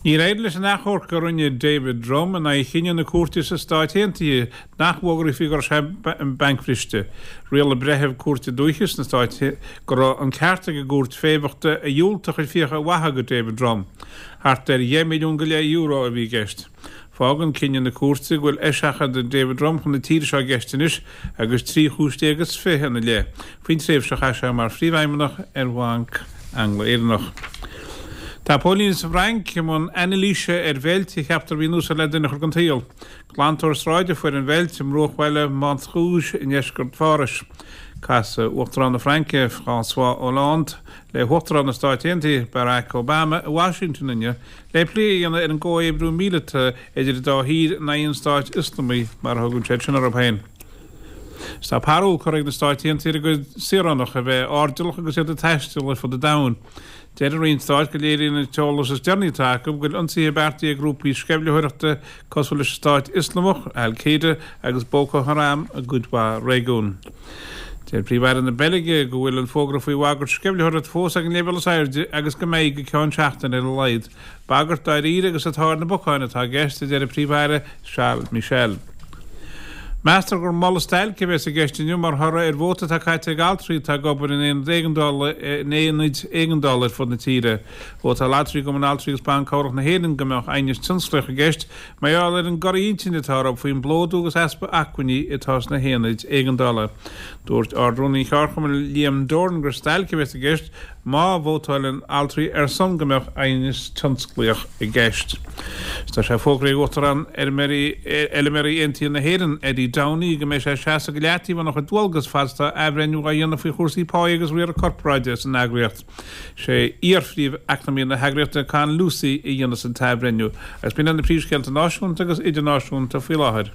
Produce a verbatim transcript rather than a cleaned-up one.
Níor éirigh leis an achomharc a rinne David Drumm in aghaidh chinneadh na cúirte sna Stáit Aontaithe nach bhfógrófaí go raibh sé bancbhriste. Rialaigh breitheamh cúirte dúiche sna Stáit go raibh an ceart ag an gcúirt féimheachta a dhiúltach a chuid fiacha a mhaitheamh do David Drumm. Thart ar dheich milliún go leith euro a bhí i gceist. Fágann cinneadh na cúirte go bhfuil eiseachadadh David Drumm chun na tíre seo i gceist anois agus trí chúis déag is fiche ina leith faoin tréimhse a chaith sé mar phríomhfheidhmeannach ar Bhanc Angla-Éireannach. Tá póilíní sa bhFrainc i mbun anailíse ar mheilt a cheaptar a bhí in úsáid le duine a chur den tsaol. Glantóir sráide a fuair an mheilt i mbruachbhaile Montrouge i ndeisceart Phárais. Casfaidh Uachtarán na Fraince, François Hollande, le hUachtarán na Stáit Aontaithe, Barack Obama, i Washington inniu le plé a dhéanamh ar an gcomhoibriú míleata idir an dá thír in aghaidh an Stáit Ioslamaigh, mar a thugann siad sin orthu féin. Tá parúl curtha ag na Stáit Aontaithe ar a gcuid saoránach a bheith airdeallach agus iad ag taisteal ar fud an domhain. Deir an Roinn Stáit go léiríonn an t-eolas is deireanaí atá acu go bhfuil ionsaithe beartaithe ag grúpaí sceimhlitheoireachta cosúil leis an Stát Ioslamach, Al Qaeda agus Boko Haram i gcuid mhaith réigiún. Deir Príomh-Aire na Beilge go bhfuil an fógra faoi bhagairt sceimhlitheoireachta fós ag an leibhéal is airde agus go mbeidh go ceann seachtaine ar a laghad. Bagairt dáiríre agus atá ar na bacáin atá i gceist, a deir an Príomh-Aire Charles Michel. Meastar gur moladh stailce a bheas i gceist inniu mar thoradh ar vóta atá caite ag altraí atá ag obair in aonad éigeandála in aonaid éigeandála ar fud na tíre. Vótáil altraí i gCumann Altraí agus Ban Cabhrach na hÉireann go mbeadh aighneas tionsclaíoch i gceist mar gheall ar an gcorraí intinne atá orthu faoin bplódú agus easpa acmhainní atá sna haonaid éigeandála. Dúirt Ard-Rúnaí an Cheardchumainn Liam Doran gur stailc a bheas i gceist má vótáileann altraí ar son go mbeadh aighneas tionsclaíoch i gceist. Tá sé fógraithe ag Uachtarán Fheilméaraí Aontaithe na hÉireann, Eddie Downey, go mbeidh sé ag seasamh go leataobh óna chuid dualgas fad is atá athbhreithniú á dhéanamh faoi chúrsaí páí agus riaradh corparáide san eagraíocht. Sé iar-phríomh-eacnamaí na heagraíochta, Con Lucey, a dhéanfas an t-athbhreithniú. Agus b'in iad na príomhscéalta náisiúnta agus idirnáisiúnta faoi láthair.